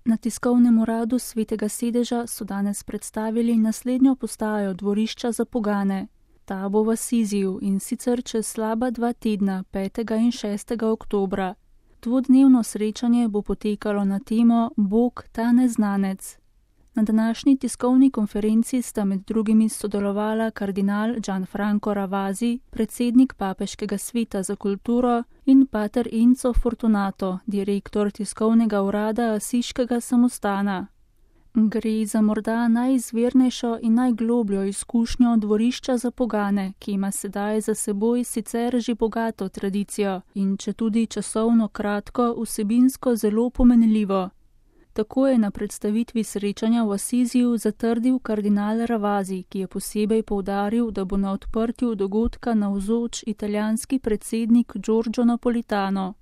Na tiskovnem uradu Svetega sedeža so danes predstavili naslednjo postajo dvorišča za pogane. Ta bo v Asiziju in sicer čez slaba 2 tedna, 5. in 6. oktobra. Dvodnevno srečanje bo potekalo na temo Bog ta neznanec. Na današnji tiskovni konferenci sta med drugimi sodelovala kardinal Gianfranco Ravasi, predsednik Papeškega sveta za kulturo, in pater Enzo Fortunato, direktor tiskovnega urada Asiškega samostana. Gre za morda najizvirnejšo in najglobljo izkušnjo dvorišča za pogane, ki ima sedaj za seboj sicer že bogato tradicijo in četudi časovno kratko, vsebinsko zelo pomenljivo. Tako je na predstavitvi srečanja v Asiziju zatrdil kardinal Ravasi, ki je posebej poudaril, da bo na odprtju dogodka navzoč italijanski predsednik Giorgio Napolitano.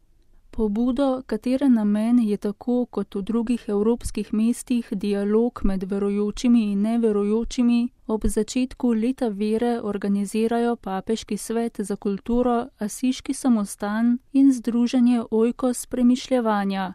Pobudo, katere namen je tako kot v drugih evropskih mestih dialog med verujočimi in neverujočimi, ob začetku leta vere organizirajo Papeški svet za kulturo, Asiški samostan in združenje Oikos premišljevanja.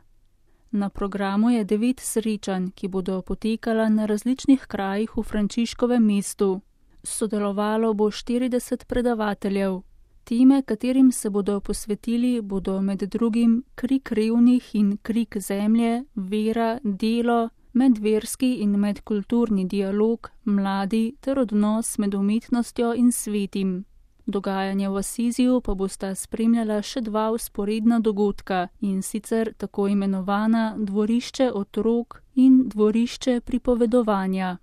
Na programu je 9 srečanj, ki bodo potekala na različnih krajih v Frančiškovem mestu. Sodelovalo bo 40 predavateljev. Teme, katerim se bodo posvetili, bodo med drugim krik revnih in krik zemlje, vera, delo, medverski in medkulturni dialog, mladi ter odnos med umetnostjo in svetim. Dogajanje v Asiziju pa bosta spremljala še 2 vzporedna dogodka, in sicer tako imenovana dvorišče otrok in dvorišče pripovedovanja.